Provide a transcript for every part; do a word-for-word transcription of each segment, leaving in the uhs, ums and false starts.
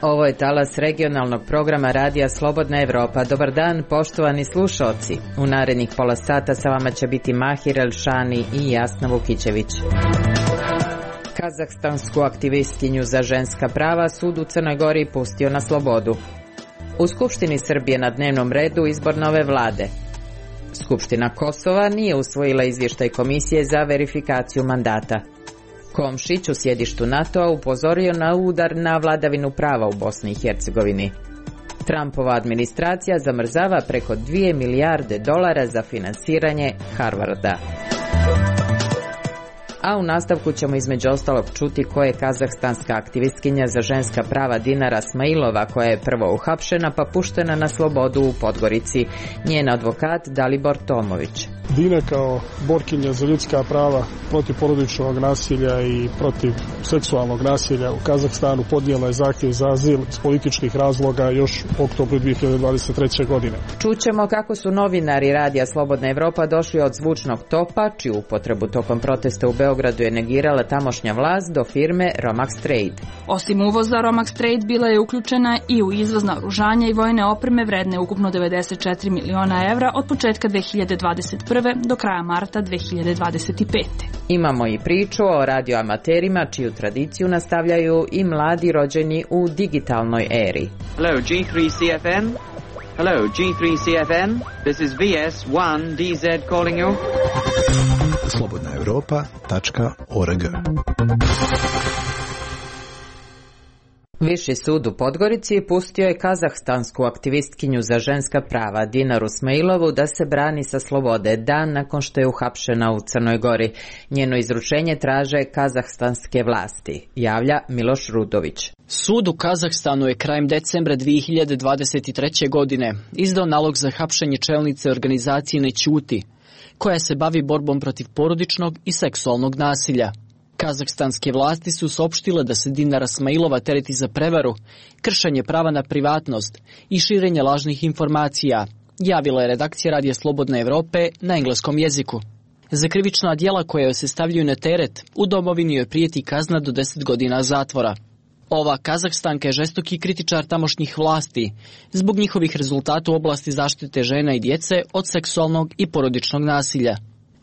Ovo je talas regionalnog programa Radija Slobodna Evropa. Dobar dan, poštovani slušalci. U narednih pola sata sa vama će biti Mahir Elšani i Jasna Vukićević. Kazahstansku aktivistkinju za ženska prava sud u Crnoj Gori pustio na slobodu. U Skupštini Srbije na dnevnom redu izbor nove vlade. Skupština Kosova nije usvojila izvještaj Komisije za verifikaciju mandata. Komšić u sjedištu NATO-a upozorio na udar na vladavinu prava u Bosni i Hercegovini. Trumpova administracija zamrzava preko dvije milijarde dolara za finansiranje Harvarda. A u nastavku ćemo između ostalog čuti ko je kazahstanska aktivistkinja za ženska prava Dinara Smailova, koja je prvo uhapšena pa puštena na slobodu u Podgorici. Njen advokat Dalibor Tomović. Dina kao borkinja za ljudska prava, protiv porodičnog nasilja i protiv seksualnog nasilja u Kazahstanu podnijela je zahtjev za azil iz političkih razloga još u oktobru dvije hiljade dvadeset treće. godine. Čućemo kako su novinari Radija Slobodna Evropa došli od zvučnog topa, čiju upotrebu tokom protesta u Beogradu je negirala tamošnja vlast, do firme Romax Trade. Osim uvoza, Romax Trade bila je uključena i u izvoz naoružanja i vojne opreme vredne ukupno devedeset četiri miliona evra od početka dve hiljade dvadeset prve do kraja marta dve hiljade dvadeset pete. Imamo i priču o radioamaterima čiju tradiciju nastavljaju i mladi rođeni u digitalnoj eri. Hello G three C F N. Hello G three C F N. This is V S one D Z calling you. slobodna europa tačka org. Viši sud u Podgorici pustio je kazahstansku aktivistkinju za ženska prava Dinaru Smailovu da se brani sa slobode dan nakon što je uhapšena u Crnoj Gori. Njeno izručenje traže kazahstanske vlasti, javlja Miloš Rudović. Sud u Kazahstanu je krajem decembra dvije hiljade dvadeset treće. godine izdao nalog za hapšenje čelnice organizacije Ne ćuti, koja se bavi borbom protiv porodičnog i seksualnog nasilja. Kazahstanske vlasti su saopštile da se Dinara Smailova tereti za prevaru, kršenje prava na privatnost i širenje lažnih informacija, javila je redakcija Radija Slobodne Evrope na engleskom jeziku. Za krivična djela koja joj se stavljaju na teret, u domovini joj prijeti kazna do deset godina zatvora. Ova Kazahstanka je žestoki kritičar tamošnjih vlasti zbog njihovih rezultata u oblasti zaštite žena i djece od seksualnog i porodičnog nasilja.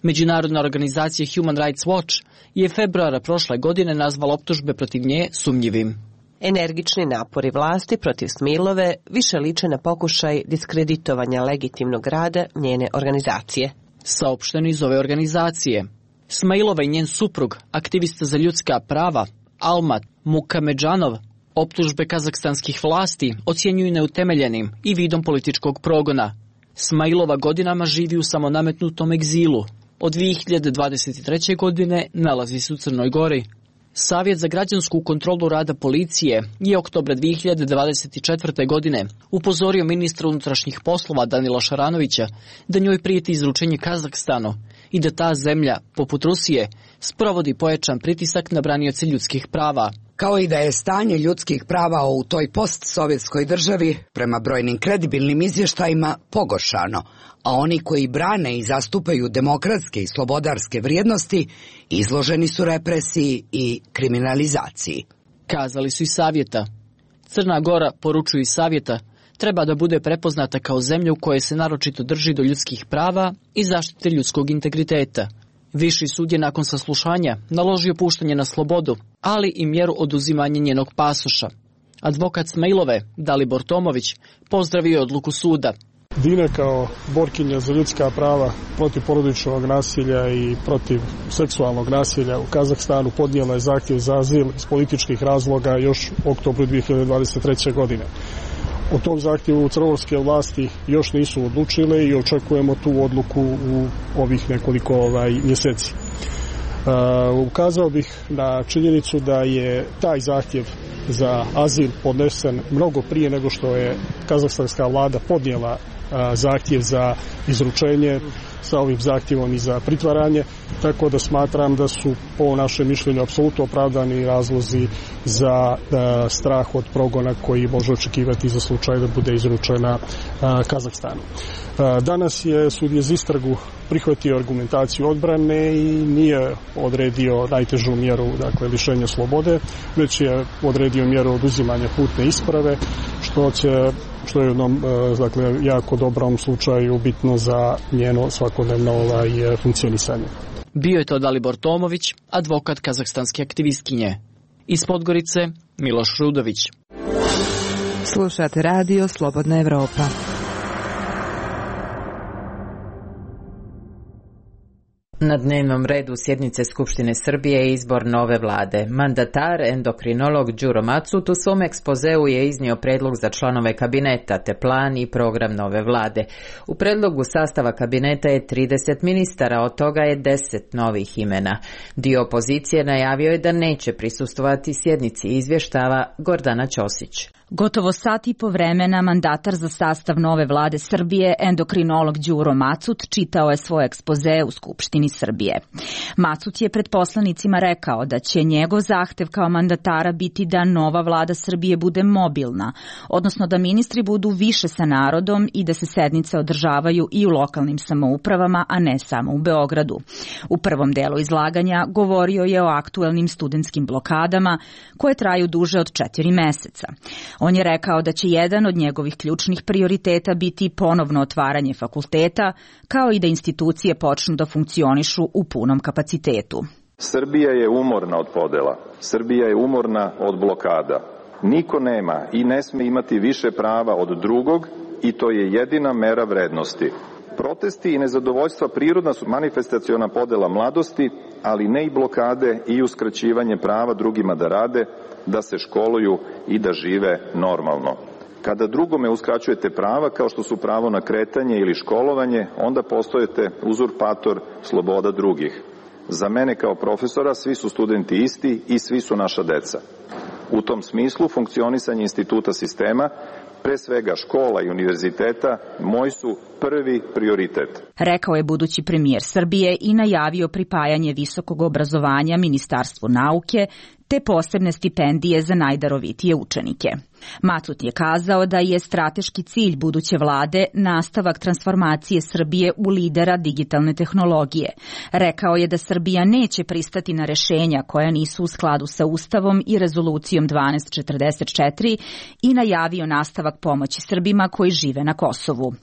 Međunarodna organizacija Human Rights Watch je februara prošle godine nazvala optužbe protiv nje sumnjivim. Energični napori vlasti protiv Smailove više liče na pokušaj diskreditovanja legitimnog rada njene organizacije. Saopšteno iz ove organizacije. Smailova i njen suprug, aktivista za ljudska prava, Almat Mukamedžanov, optužbe kazahstanskih vlasti ocjenjuju neutemeljenim i vidom političkog progona. Smailova godinama živi u samonametnutom egzilu. Od dvije hiljade dvadeset treće. godine nalazi se u Crnoj Gori. Savjet za građansku kontrolu rada policije je oktobra dvije hiljade dvadeset četvrte. godine upozorio ministra unutrašnjih poslova Danila Šaranovića da njoj prijeti izručenje Kazahstanu i da ta zemlja, poput Rusije, sprovodi pojačan pritisak na branioce ljudskih prava. Kao i da je stanje ljudskih prava u toj postsovjetskoj državi, prema brojnim kredibilnim izvještajima, pogoršano, a oni koji brane i zastupaju demokratske i slobodarske vrijednosti izloženi su represiji i kriminalizaciji. Kazali su i savjeta. Crna Gora, poručuju iz savjeta, treba da bude prepoznata kao zemlja u kojoj se naročito drži do ljudskih prava i zaštite ljudskog integriteta. Viši sud je nakon saslušanja naložio puštanje na slobodu, ali i mjeru oduzimanja njenog pasoša. Advokat Smailove, Dalibor Tomović, pozdravio je odluku suda. Dina kao borkinja za ljudska prava, protiv porodičnog nasilja i protiv seksualnog nasilja u Kazahstanu podnijela je zahtjev za azil iz političkih razloga još u oktobru dvije hiljade dvadeset treće. godine. O tom zahtjevu crnogorske vlasti još nisu odlučile i očekujemo tu odluku u ovih nekoliko ovaj, mjeseci. Uh, ukazao bih na činjenicu da je taj zahtjev za azil podnesen mnogo prije nego što je kazahstanska vlada podnijela uh, zahtjev za izručenje sa ovim zahtjevom i za pritvaranje, tako da smatram da su po našem mišljenju apsolutno opravdani razlozi za da, strah od progona koji može očekivati za slučaj da bude izručena a, Kazahstanu. A, danas je sudija za istragu prihvatio argumentaciju odbrane i nije odredio najtežu mjeru, dakle lišenja slobode, već je odredio mjeru oduzimanja putne isprave, što će što je u jednom dakle, jako dobrom slučaju bitno za njeno svakodnevno ovaj, funkcionisanje. Bio je to Dalibor Tomović, advokat kazahstanske aktivistkinje. Iz Podgorice, Miloš Rudović. Slušate radio Slobodna Evropa. Na dnevnom redu sjednice Skupštine Srbije je izbor nove vlade. Mandatar, endokrinolog Đuro Macut u svom ekspozeu je iznio predlog za članove kabineta te plan i program nove vlade. U predlogu sastava kabineta je trideset ministara, od toga je deset novih imena. Dio opozicije najavio je da neće prisustvovati sjednici, izvještava Gordana Ćosić. Gotovo sat i po vremena mandatar za sastav nove vlade Srbije, endokrinolog Đuro Macut, čitao je svoj ekspoze u Skupštini Srbije. Macut je pred poslanicima rekao da će njegov zahtev kao mandatara biti da nova vlada Srbije bude mobilna, odnosno da ministri budu više sa narodom i da se sednice održavaju i u lokalnim samoupravama, a ne samo u Beogradu. U prvom delu izlaganja govorio je o aktuelnim studentskim blokadama koje traju duže od četiri meseca. On je rekao da će jedan od njegovih ključnih prioriteta biti ponovno otvaranje fakulteta, kao i da institucije počnu da funkcionišu u punom kapacitetu. Srbija je umorna od podela. Srbija je umorna od blokada. Niko nema i ne sme imati više prava od drugog i to je jedina mera vrednosti. Protesti i nezadovoljstva prirodna su manifestaciona podela mladosti, ali ne i blokade i uskraćivanje prava drugima da rade, da se školuju i da žive normalno. Kada drugome uskraćujete prava, kao što su pravo na kretanje ili školovanje, onda postojete uzurpator sloboda drugih. Za mene kao profesora svi su studenti isti i svi su naša deca. U tom smislu funkcionisanje instituta sistema, pre svega škola i univerziteta, moj su prvi prioritet. Rekao je budući premijer Srbije i najavio pripajanje visokog obrazovanja Ministarstvu nauke te posebne stipendije za najdarovitije učenike. Macut je kazao da je strateški cilj buduće vlade nastavak transformacije Srbije u lidera digitalne tehnologije. Rekao je da Srbija neće pristati na rešenja koja nisu u skladu sa Ustavom i rezolucijom dvanaest četrdeset četiri i najavio nastavak pomoći Srbima koji žive na Kosovu.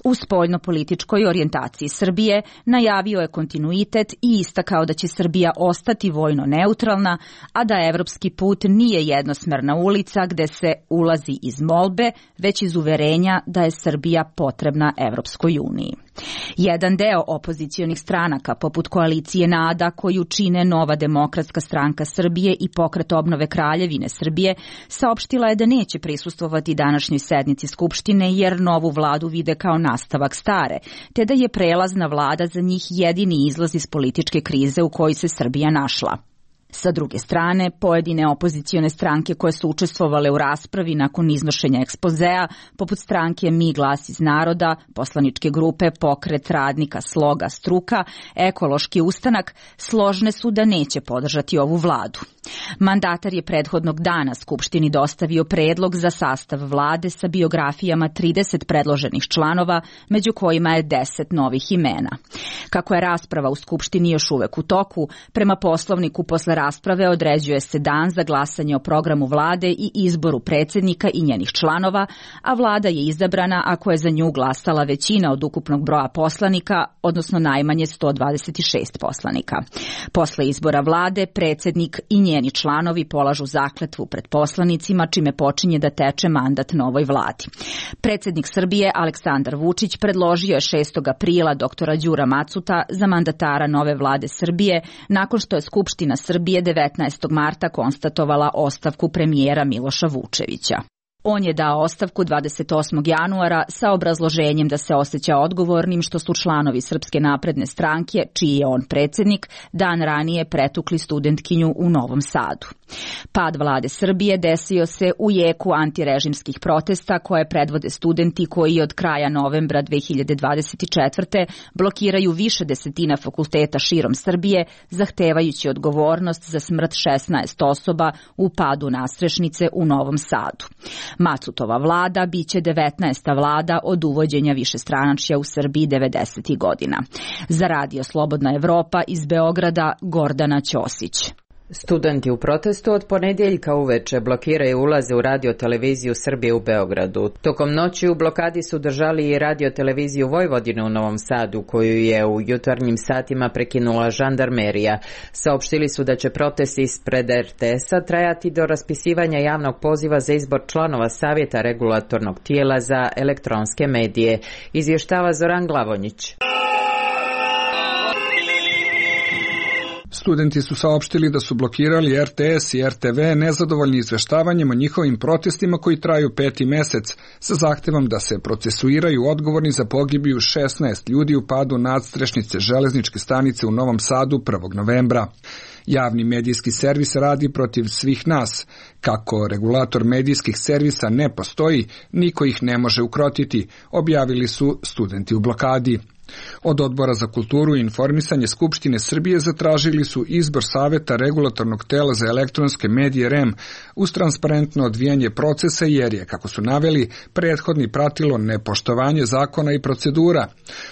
U spoljnopolitičkoj orijentaciji Srbije najavio je kontinuitet i istakao da će Srbija ostati vojno neutralna, a da evropski put nije jednosmerna ulica gde se ulazi iz molbe, već iz uverenja da je Srbija potrebna Evropskoj uniji. Jedan deo opozicionih stranaka, poput koalicije NADA, koju čine Nova demokratska stranka Srbije i Pokret obnove Kraljevine Srbije, saopštila je da neće prisustvovati današnjoj sednici Skupštine jer novu vladu vide kao nastavak stare, te da je prelazna vlada za njih jedini izlaz iz političke krize u kojoj se Srbija našla. Sa druge strane, pojedine opozicione stranke koje su učestvovale u raspravi nakon iznošenja ekspozea, poput stranke Mi glas iz naroda, poslaničke grupe Pokret radnika Sloga struka, Ekološki ustanak, složne su da neće podržati ovu vladu. Mandatar je prethodnog dana Skupštini dostavio predlog za sastav vlade sa biografijama trideset predloženih članova, među kojima je deset novih imena. Kako je rasprava u Skupštini još uvek u toku, prema poslovniku posle rasprave određuje se dan za glasanje o programu vlade i izboru predsjednika i njenih članova, a vlada je izabrana ako je za nju glasala većina od ukupnog broja poslanika, odnosno najmanje sto dvadeset šest poslanika. Posle izbora vlade, predsjednik i njeni članovi polažu zakletvu pred poslanicima, čime počinje da teče mandat novoj vladi. Predsjednik Srbije Aleksandar Vučić predložio je šestog aprila doktora Đura Macuta za mandatara nove vlade Srbije, nakon što je Skupština Srbije devetnaestog marta konstatovala ostavku premijera Miloša Vučevića. On je dao ostavku dvadeset osmog januara sa obrazloženjem da se osjeća odgovornim što su članovi Srpske napredne stranke, čiji je on predsjednik, dan ranije pretukli studentkinju u Novom Sadu. Pad vlade Srbije desio se u jeku antirežimskih protesta koje predvode studenti koji od kraja novembra dve hiljade dvadeset četvrte blokiraju više desetina fakulteta širom Srbije, zahtevajući odgovornost za smrt šesnaest osoba u padu nastrešnice u Novom Sadu. Macutova vlada biće devetnaesta vlada od uvođenja višestranačja u Srbiji devedesetih godina. Za Radio Slobodna Evropa iz Beograda, Gordana Ćosić. Studenti u protestu od ponedjeljka uveče blokiraju ulaze u radio-televiziju Srbije u Beogradu. Tokom noći u blokadi su držali i radio-televiziju Vojvodine u Novom Sadu, koju je u jutarnjim satima prekinula žandarmerija. Saopštili su da će protesti ispred er te es-a trajati do raspisivanja javnog poziva za izbor članova Savjeta regulatornog tijela za elektronske medije. Izvještava Zoran Glavonjić. Studenti su saopštili da su blokirali er te es i er te ve nezadovoljni izveštavanjem o njihovim protestima koji traju peti mesec, sa zahtevom da se procesuiraju odgovorni za pogibiju šesnaest ljudi u padu nadstrešnice železničke stanice u Novom Sadu prvog novembra. Javni medijski servis radi protiv svih nas. Kako regulator medijskih servisa ne postoji, niko ih ne može ukrotiti, objavili su studenti u blokadi. Od Odbora za kulturu i informisanje Skupštine Srbije zatražili su izbor Saveta regulatornog tela za elektronske medije er e em uz transparentno odvijanje procesa jer je, kako su naveli, prethodni pratilo nepoštovanje zakona i procedura.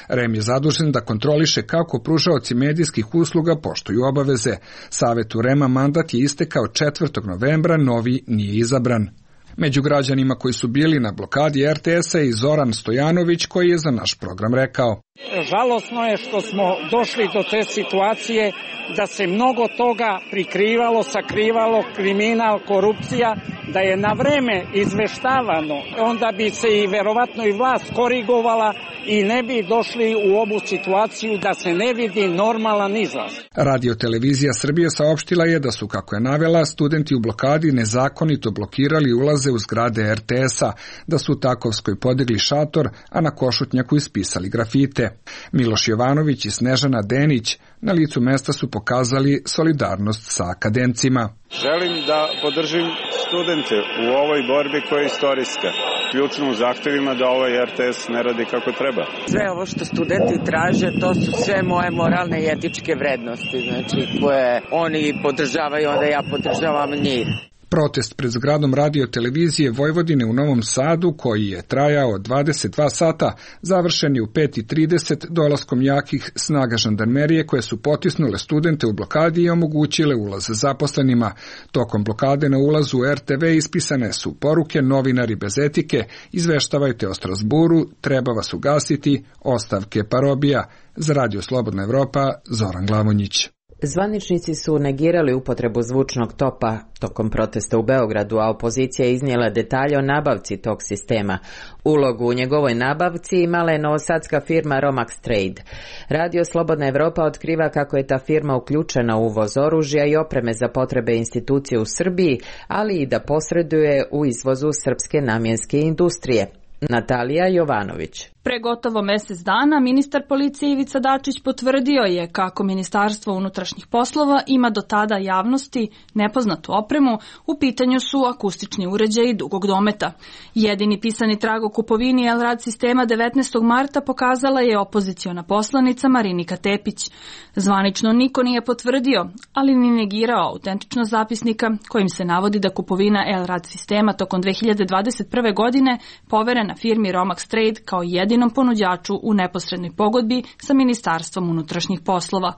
er e em je zadužen da kontroliše kako pružaoci medijskih usluga poštuju obaveze. Savetu er e ema mandat je istekao četvrtog novembra, novi nije izabran. Među građanima koji su bili na blokadi er te es-a i Zoran Stojanović, koji je za naš program rekao: Žalosno je što smo došli do te situacije da se mnogo toga prikrivalo, sakrivalo, kriminal, korupcija, da je na vreme izveštavano, onda bi se i verovatno i vlast korigovala i ne bi došli u ovu situaciju da se ne vidi normalan izlaz. Radio-televizija Srbije saopštila je da su, kako je navela, studenti u blokadi nezakonito blokirali ulaze u zgrade er te es-a, da su u Takovskoj podigli šator, a na Košutnjaku ispisali grafite. Miloš Jovanović i Snežana Denić na licu mesta su pokazali solidarnost sa akademcima. Želim da podržim studente u ovoj borbi koja je istorijska, ključno u zahtevima da ovaj er te es ne radi kako treba. Sve ovo što studenti traže, to su sve moje moralne i etičke vrednosti, znači koje oni podržavaju, onda ja podržavam njih. Protest pred zgradom radio-televizije Vojvodine u Novom Sadu, koji je trajao dvadeset dva sata, završen je u pet i trideset dolaskom jakih snaga žandarmerije koje su potisnule studente u blokadi i omogućile ulaz zaposlenima. Tokom blokade na ulazu u er te ve ispisane su poruke: novinari bez etike, izveštavajte o Strasburu, treba vas ugasiti, ostavke parobija. Za Radio Slobodna Evropa, Zoran Glavonjić. Zvaničnici su negirali upotrebu zvučnog topa tokom protesta u Beogradu, a opozicija je iznijela detalje o nabavci tog sistema. Ulogu u njegovoj nabavci imala je novosadska firma Romax Trade. Radio Slobodna Evropa otkriva kako je ta firma uključena u uvoz oružja i opreme za potrebe institucije u Srbiji, ali i da posreduje u izvozu srpske namjenske industrije. Natalija Jovanović. Pre gotovo mesec dana ministar policije Ivica Dačić potvrdio je kako Ministarstvo unutrašnjih poslova ima do tada javnosti nepoznatu opremu, u pitanju su akustični uređaji dugog dometa. Jedini pisani trag o kupovini Elrad sistema devetnaestog marta pokazala je opoziciona poslanica Marinika Tepić. Zvanično niko nije potvrdio, ali ni negirao autentičnost zapisnika kojim se navodi da kupovina Elrad sistema tokom dve hiljade dvadeset prve godine poverena firmi Romax Trade kao jedini ponuđaču u neposrednoj pogodbi sa Ministarstvom unutrašnjih poslova.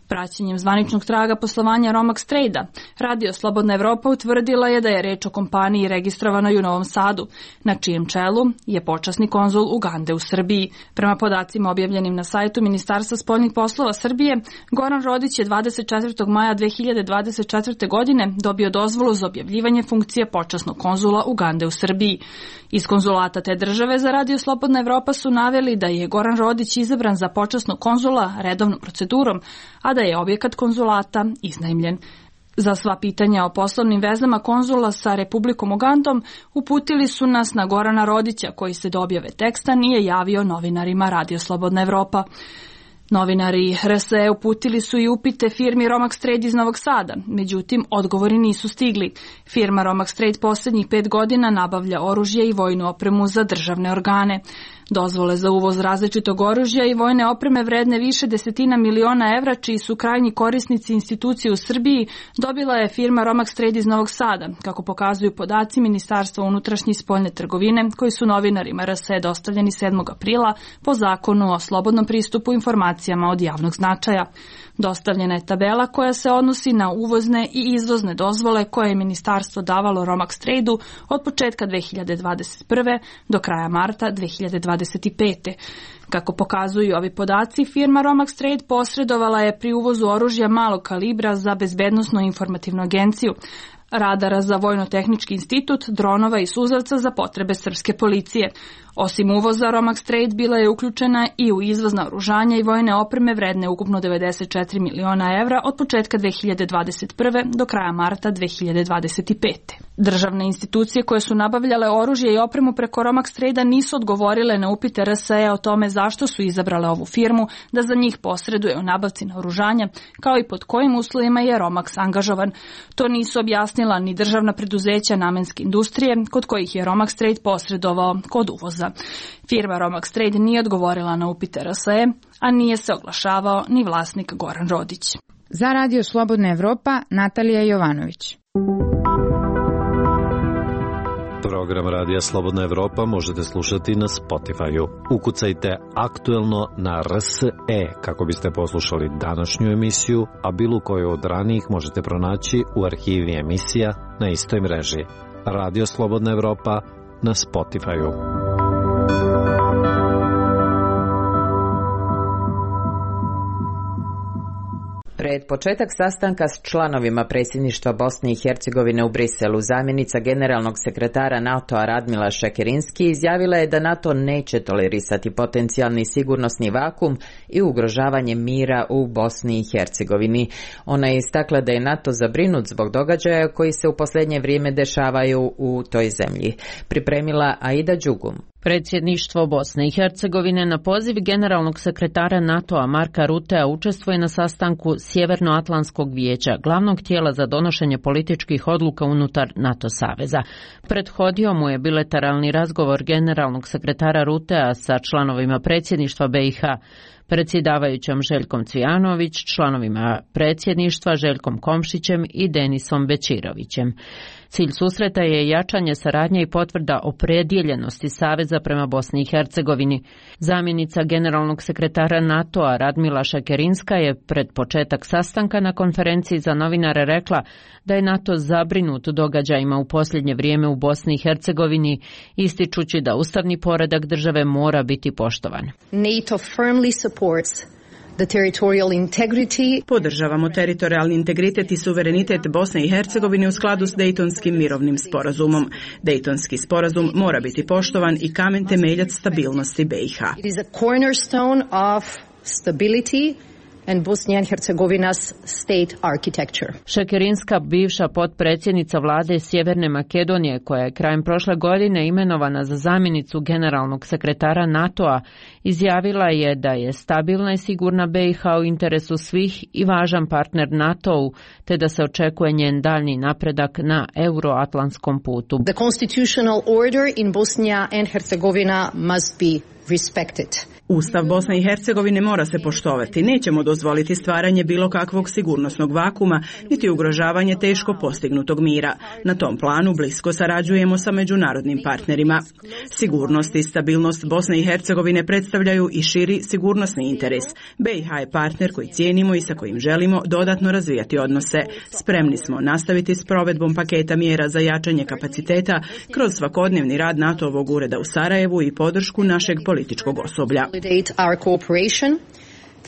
Praćenjem zvaničnog traga poslovanja Romax Trade-a, Radio Slobodna Evropa utvrdila je da je reč o kompaniji registrovanoj u Novom Sadu, na čijem čelu je počasni konzul Ugande u Srbiji. Prema podacima objavljenim na sajtu Ministarstva spoljnih poslova Srbije, Goran Rodić je dvadeset četvrtog maja dve hiljade dvadeset četvrte. godine dobio dozvolu za objavljivanje funkcije počasnog konzula Ugande u Srbiji. Iz konzulata te države za Radio Slobodna Evropa su naveli da je Goran Rodić izabran za počasnog konzula redovnom procedurom, a da je objekat konzulata iznajmljen. Za sva pitanja o poslovnim vezama konzula sa Republikom Ugandom uputili su nas na Gorana Rodića, koji se do objave teksta nije javio novinarima Radio Slobodna Evropa. Novinari R S E uputili su i upite firmi Romax Trade iz Novog Sada, međutim, odgovori nisu stigli. Firma Romax Trade posljednjih pet godina nabavlja oružje i vojnu opremu za državne organe. Dozvole za uvoz različitog oružja i vojne opreme vredne više desetina miliona evra, čiji su krajnji korisnici institucije u Srbiji, dobila je firma Romax Trade iz Novog Sada, kako pokazuju podaci Ministarstva unutrašnje i spoljne trgovine, koji su novinarima R S E dostavljeni sedmog aprila po zakonu o slobodnom pristupu informacijama od javnog značaja. Dostavljena je tabela koja se odnosi na uvozne i izvozne dozvole koje je ministarstvo davalo Romax Trade-u od početka dve hiljade dvadeset prve do kraja marta dve hiljade dvadeset pete. Kako pokazuju ovi podaci, firma Romax Trade posredovala je pri uvozu oružja malog kalibra za bezbednosno-informativnu agenciju, radara za Vojno-tehnički institut, dronova i suzavca za potrebe srpske policije. Osim uvoza, Romax Trade bila je uključena i u izvoz naoružanja i vojne opreme vredne ukupno devedeset četiri miliona evra od početka dve hiljade dvadeset prve do kraja marta dve hiljade dvadeset pete. Državne institucije koje su nabavljale oružje i opremu preko Romax Trade-a nisu odgovorile na upite R S E o tome zašto su izabrale ovu firmu da za njih posreduje u nabavci naoružanja, kao i pod kojim uslovima je Romax angažovan. To nisu objasnila ni državna preduzeća namenske industrije, kod kojih je Romax Trade posredovao kod uvoza. Firma Romax Trade nije odgovorila na upite R S E, a nije se oglašavao ni vlasnik Goran Rodić. Za Radio Slobodna Evropa, Natalija Jovanović. Program Radija Slobodna Evropa možete slušati na Spotify-u. Ukucajte aktuelno na R S E kako biste poslušali današnju emisiju, a bilo koju od ranijih možete pronaći u arhivi emisija na istoj mreži. Radio Slobodna Evropa na Spotify-u. Pred početak sastanka s članovima predsjedništva Bosne i Hercegovine u Briselu, zamjenica generalnog sekretara NATO-a Radmila Šekerinski izjavila je da NATO neće tolerisati potencijalni sigurnosni vakum i ugrožavanje mira u Bosni i Hercegovini. Ona je istakla da je NATO zabrinut zbog događaja koji se u posljednje vrijeme dešavaju u toj zemlji. Pripremila Aida Đugum. Predsjedništvo Bosne i Hercegovine na poziv generalnog sekretara NATO-a Marka Rutea učestvuje na sastanku Sjevernoatlantskog vijeća, glavnog tijela za donošenje političkih odluka unutar NATO saveza. Prethodio mu je bilateralni razgovor generalnog sekretara Rutea sa članovima predsjedništva B i H, predsjedavajućom Željkom Cvijanović, članovima predsjedništva Željkom Komšićem i Denisom Bečirovićem. Cilj susreta je jačanje saradnje i potvrda opredjeljenosti Saveza prema Bosni i Hercegovini. Zamjenica generalnog sekretara NATO-a Radmila Šekerinska je pred početak sastanka na konferenciji za novinare rekla da je NATO zabrinut događajima u posljednje vrijeme u Bosni i Hercegovini, ističući da ustavni poredak države mora biti poštovan. NATO firmly supports the territorial integrity. Podržavamo teritorijalni integritet i suverenitet Bosne i Hercegovine u skladu s Dejtonskim mirovnim sporazumom. Dejtonski sporazum mora biti poštovan i kamen temeljac stabilnosti B i H. It is a cornerstone of stability and Bosnia and Herzegovina's state architecture. Šekerinska, bivša potpredsjednica vlade Sjeverne Makedonije, koja je krajem prošle godine imenovana za zamjenicu generalnog sekretara NATO-a, izjavila je da je stabilna i sigurna B i H u interesu svih i važan partner NATO-u, te da se očekuje njen daljnji napredak na euroatlantskom putu. The constitutional order in Bosnia and Herzegovina must be respected. Ustav Bosne i Hercegovine mora se poštovati. Nećemo dozvoliti stvaranje bilo kakvog sigurnosnog vakuma, niti ugrožavanje teško postignutog mira. Na tom planu blisko sarađujemo sa međunarodnim partnerima. Sigurnost i stabilnost Bosne i Hercegovine predstavljaju i širi sigurnosni interes. B i H je partner koji cijenimo i sa kojim želimo dodatno razvijati odnose. Spremni smo nastaviti s provedbom paketa mjera za jačanje kapaciteta kroz svakodnevni rad NATO-ovog ureda u Sarajevu i podršku našeg političkog osoblja. Our cooperation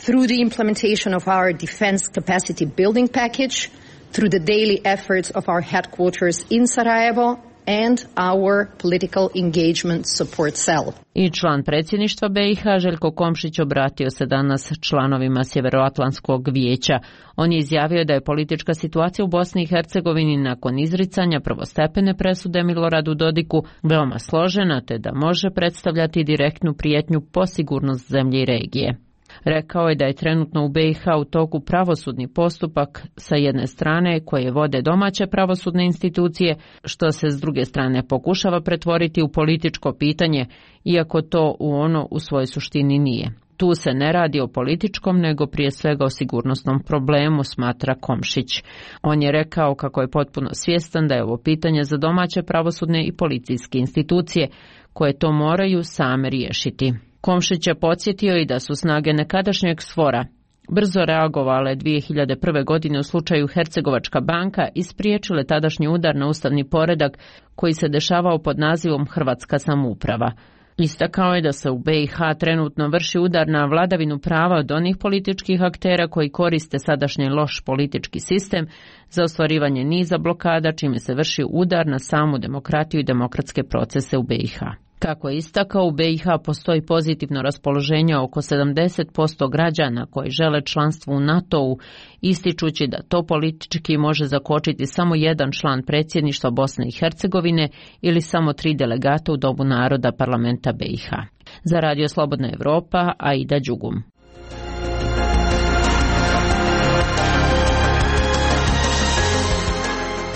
through the implementation of our defense capacity building package, through the daily efforts of our headquarters in Sarajevo and our political engagement support cell. I član predsjedništva B i H Željko Komšić obratio se danas članovima Sjevernoatlantskog vijeća. On je izjavio da je politička situacija u Bosni i Hercegovini nakon izricanja prvostepene presude Miloradu Dodiku veoma složena, te da može predstavljati direktnu prijetnju po sigurnost zemlje i regije. Rekao je da je trenutno u B i H u toku pravosudni postupak sa jedne strane koje vode domaće pravosudne institucije, što se s druge strane pokušava pretvoriti u političko pitanje, iako to u ono u svojoj suštini nije. Tu se ne radi o političkom, nego prije svega o sigurnosnom problemu, smatra Komšić. On je rekao kako je potpuno svjestan da je ovo pitanje za domaće pravosudne i policijske institucije, koje to moraju same riješiti. Komšić je podsjetio i da su snage nekadašnjeg SFOR-a brzo reagovale dvije hiljade prve. godine u slučaju Hercegovačka banka i spriječile tadašnji udar na ustavni poredak koji se dešavao pod nazivom Hrvatska samouprava. Istakao je da se u B i H trenutno vrši udar na vladavinu prava od onih političkih aktera koji koriste sadašnji loš politički sistem za ostvarivanje niza blokada, čime se vrši udar na samu demokratiju i demokratske procese u B i H. Kako je istakao, u B i H postoji pozitivno raspoloženje oko sedamdeset posto građana koji žele članstvo u NATO-u, ističući da to politički može zakočiti samo jedan član predsjedništva Bosne i Hercegovine ili samo tri delegata u Domu naroda parlamenta B i H. Za Radio Slobodna Evropa, Aida Đugum.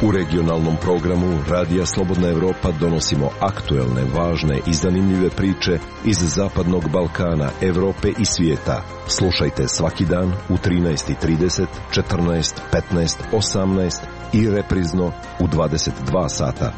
U regionalnom programu Radija Slobodna Evropa donosimo aktuelne, važne i zanimljive priče iz Zapadnog Balkana, Evrope i svijeta. Slušajte svaki dan u trinaest i trideset, četrnaest, petnaest, osamnaest i reprizno u dvadeset dva sata.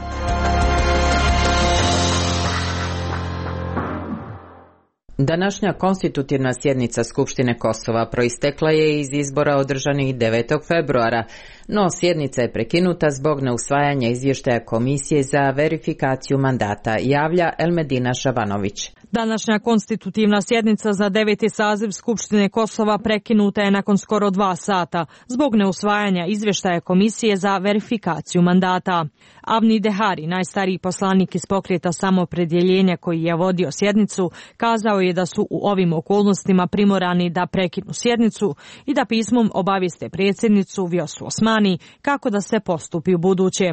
Današnja konstitutivna sjednica Skupštine Kosova proistekla je iz izbora održanih devetog februara, no sjednica je prekinuta zbog neusvajanja izvještaja Komisije za verifikaciju mandata, javlja Elmedina Šabanović. Današnja konstitutivna sjednica za deveti saziv Skupštine Kosova prekinuta je nakon skoro dva sata zbog neusvajanja izvještaja Komisije za verifikaciju mandata. Avni Dehari, najstariji poslanik iz pokreta Samopredjeljenja koji je vodio sjednicu, kazao je da su u ovim okolnostima primorani da prekinu sjednicu i da pismom obavijeste predsjednicu Vjosu Osmani kako da se postupi u buduće.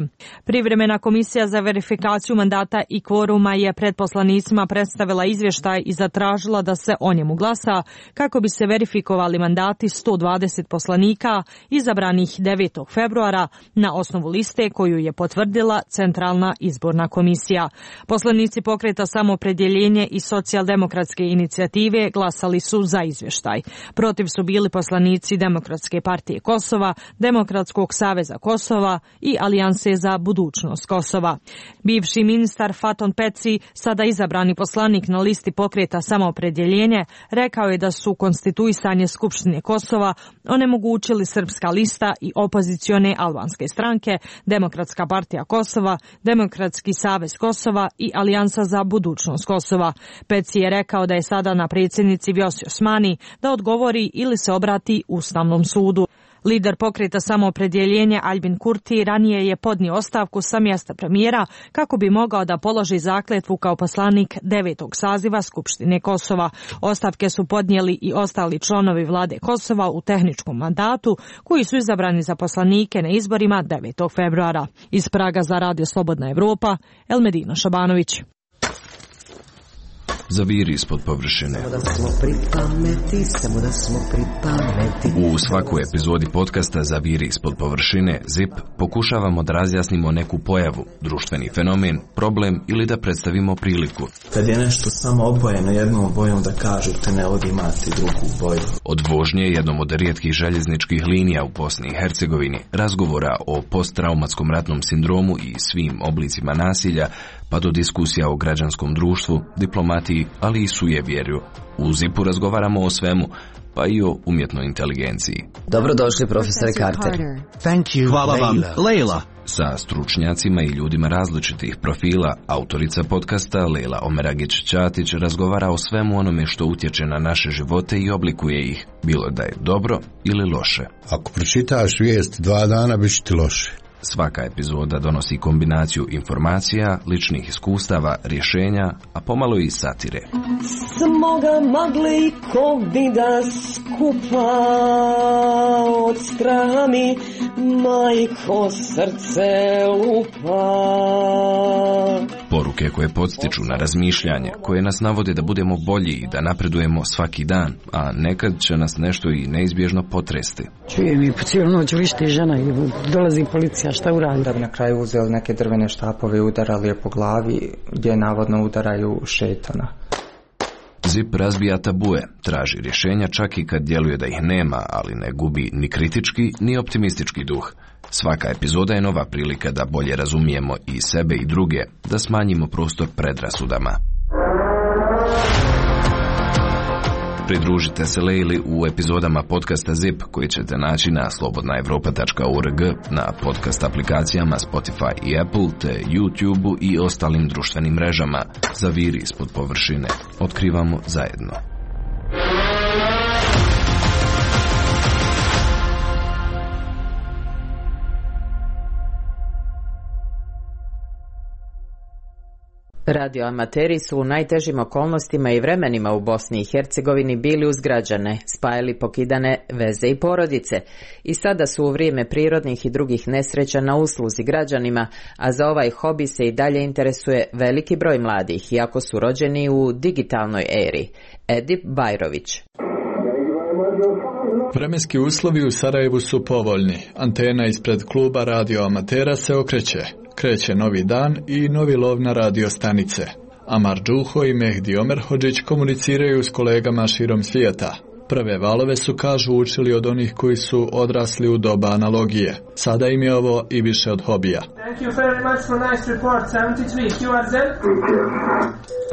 Privremena komisija za verifikaciju mandata i kvoruma je pred poslanicima predstavila izvještaj i zatražila da se o njemu glasa kako bi se verifikovali mandati sto dvadeset poslanika izabranih devetog februara na osnovu liste koju je potvrdila Centralna izborna komisija. Poslanici pokreta Samopredjeljenje i Socijaldemokratske inicijative glasali su za izvještaj. Protiv su bili poslanici Demokratske partije Kosova, Demokratskog saveza Kosova i Alijanse za budućnost Kosova. Bivši ministar Faton Peci, sada izabrani poslanik na listi pokreta Samopredjeljenje, rekao je da su konstituisanje Skupštine Kosova onemogućili Srpska lista i opozicione albanske stranke, Demokratska partija Kosova, Demokratski savez Kosova i Alijansa za budućnost Kosova. Peci je rekao da je sada na predsjednici Vjosi Osmani da odgovori ili se obrati Ustavnom sudu. Lider pokreta Samopredjeljenja Albin Kurti ranije je podnio ostavku sa mjesta premijera kako bi mogao da položi zakletvu kao poslanik devetog saziva Skupštine Kosova. Ostavke su podnijeli i ostali članovi vlade Kosova u tehničkom mandatu koji su izabrani za poslanike na izborima devetog februara. Iz Praga za Radio Slobodna Evropa, Elmedina Šabanović. Zaviri ispod površine. Samo da smo pri pameti, samo da smo pri pameti. U svakoj epizodi podcasta Zaviri ispod površine, zip, pokušavamo da razjasnimo neku pojavu, društveni fenomen, problem ili da predstavimo priliku. Kad je nešto samo obojeno jednom bojom da kažete ne ovdje imati drugu boju. Od vožnje jednom od rijetkih željezničkih linija u Bosni i Hercegovini, razgovora o posttraumatskom ratnom sindromu i svim oblicima nasilja, pa do diskusija o građanskom društvu, diplomatiji, ali i sujevjerju. U zipu razgovaramo o svemu, pa i o umjetnoj inteligenciji. Dobrodošli, profesore Carter. Thank you, Hvala vam, Leila. Sa stručnjacima i ljudima različitih profila, autorica podcasta Leila Omeragić-Ćatić razgovara o svemu onome što utječe na naše živote i oblikuje ih, bilo da je dobro ili loše. Ako pročitaš vijest dva dana, bit će ti loše. Svaka epizoda donosi kombinaciju informacija, ličnih iskustava, rješenja, a pomalo i satire. Smoga magle i covida skupa od straha mi majko srce lupa. Poruke koje podstiču na razmišljanje, koje nas navode da budemo bolji i da napredujemo svaki dan, a nekad će nas nešto i neizbježno potresti. Čujem i po cijelu noć vrišti žena i dolazi policija, šta uradi? Da bi na kraju uzeli neke drvene štapove i udarali je po glavi, gdje navodno udaraju šetana. ZIP razbija tabue, traži rješenja čak i kad djeluje da ih nema, ali ne gubi ni kritički ni optimistički duh. Svaka epizoda je nova prilika da bolje razumijemo i sebe i druge, da smanjimo prostor predrasudama. Pridružite se Lejli u epizodama podcasta ZIP koji ćete naći na slobodna evropa tačka org, na podcast aplikacijama Spotify i Apple, te YouTube i ostalim društvenim mrežama. Zaviri ispod površine. Otkrivamo zajedno. Radioamateri su u najtežim okolnostima i vremenima u Bosni i Hercegovini bili uz građane, spajali pokidane veze i porodice i sada su u vrijeme prirodnih i drugih nesreća na usluzi građanima, a za ovaj hobi se i dalje interesuje veliki broj mladih, iako su rođeni u digitalnoj eri. Edip Bajrović. Vremenski uslovi u Sarajevu su povoljni. Antena ispred kluba radioamatera se okreće. Kreće novi dan i novi lov na radio stanice. Amar Džuho i Mehdi Omerhodžić komuniciraju s kolegama širom svijeta. Prve valove su, kažu, učili od onih koji su odrasli u doba analogije. Sada im je ovo i više od hobija. Thank you very much for nice report, sedamdeset tri, Q R Z.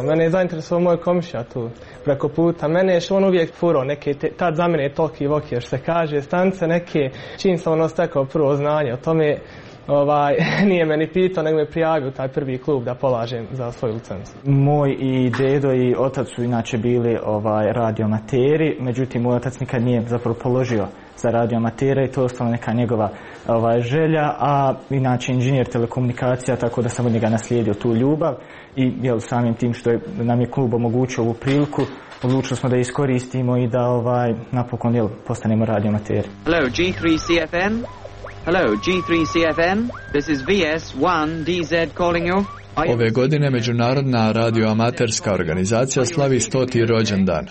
Mene je zainteresovao moj komšija tu preko puta. Mene je što on uvijek furao neke, te, tad za mene je toliki vokije, što se kaže, stanice neke, čim sam ono stekao prvo znanje o tome. Ovaj, nije me ni pitao, nego me prijavio taj prvi klub da polažem za svoju licencu. Moj i dedo i otac su inače bili ovaj, radioamateri, međutim moj otac nikad nije zapravo položio za radioamatera i to je ostala neka njegova ovaj, želja, a inače inženjer telekomunikacija, tako da sam od njega naslijedio tu ljubav i jel, samim tim što je, nam je klub omogućio ovu priliku, odlučili smo da iskoristimo i da ovaj, napokon jel, postanemo radioamateri. Hello, G three C F M. Hello, G three C F M. This is V S one D Z calling you. Ove godine Međunarodna radioamaterska organizacija slavi stoti rođendan.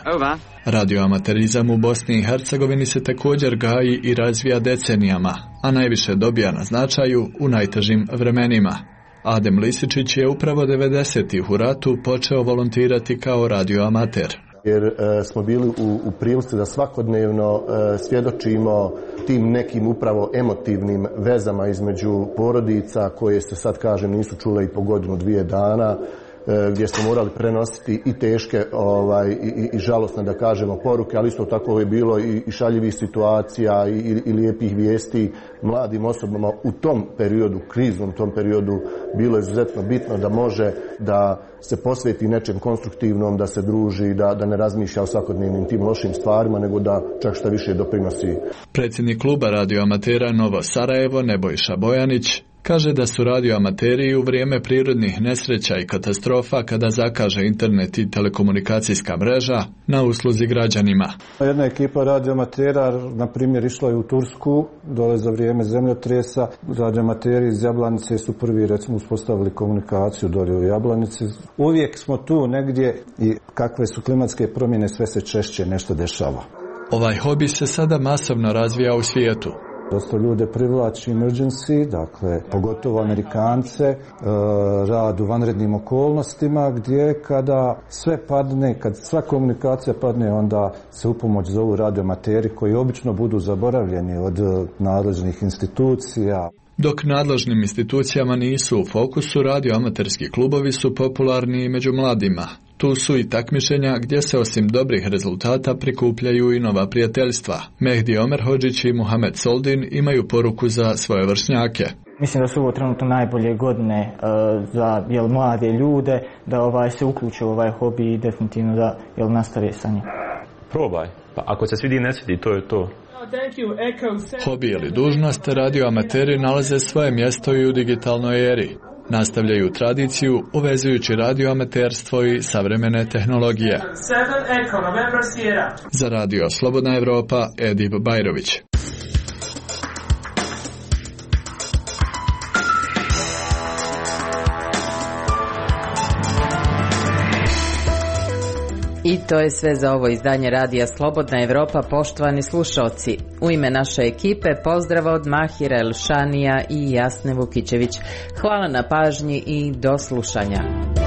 Radioamaterizam u Bosni i Hercegovini se također gaji i razvija decenijama, a najviše dobija na značaju u najtežim vremenima. Adem Lisičić je upravo devedesetih u ratu počeo volontirati kao radioamater. Jer e, smo bili u, u prilici da svakodnevno e, svjedočimo tim nekim upravo emotivnim vezama između porodica koje se sad kažem nisu čule i po godinu dvije dana, e, gdje smo morali prenositi i teške ovaj, i, i žalosne da kažemo poruke, ali isto tako je bilo i, i šaljivih situacija i, i, i lijepih vijesti mladim osobama u tom periodu, kriznom tom periodu, bilo je izuzetno bitno da može da se posveti nečem konstruktivnom, da se druži, da, da ne razmišlja o svakodnevnim tim lošim stvarima, nego da čak šta više doprinosi. Predsjednik kluba radioamatera Novo Sarajevo, Nebojša Bojanić, kaže da su radioamateri u vrijeme prirodnih nesreća i katastrofa, kada zakaže internet i telekomunikacijska mreža, na usluzi građanima. Jedna ekipa radioamatera, na primjer, išla je u Tursku, dole za vrijeme zemljotresa. Radioamateri iz Jablanice su prvi, recimo, uspostavili komunikaciju dole u Jablanici. Uvijek smo tu negdje i kakve su klimatske promjene, sve se češće nešto dešava. Ovaj hobi se sada masovno razvija u svijetu. Dosta ljude privlači emergency, dakle, pogotovo Amerikance, rad u vanrednim okolnostima, gdje kada sve padne, kad sva komunikacija padne, onda se u pomoć zovu radioamateri koji obično budu zaboravljeni od nadležnih institucija. Dok nadležnim institucijama nisu u fokusu, radioamaterski klubovi su popularni i među mladima. Tu su i takmičenja gdje se osim dobrih rezultata prikupljaju i nova prijateljstva. Mehdi Omerhodžić i Muhamed Soldin imaju poruku za svoje vršnjake. Mislim da su ovo trenutno najbolje godine uh, za jel, mlade ljude, da ovaj, se uključe u ovaj hobi i definitivno da jel, nastave sa njim. Probaj, pa ako se svidi ne svidi, to je to. Hobi ili dužnost, radioamateri nalaze svoje mjesto i u digitalnoj eri. Nastavljaju tradiciju uvezujući radioamaterstvo i savremene tehnologije. Za radio Slobodna Evropa, Edip Bajrović. I to je sve za ovo izdanje Radija Slobodna Evropa, poštovani slušalci. U ime naše ekipe pozdrava od Mahira Elšanija i Jasne Vukićević. Hvala na pažnji i do slušanja.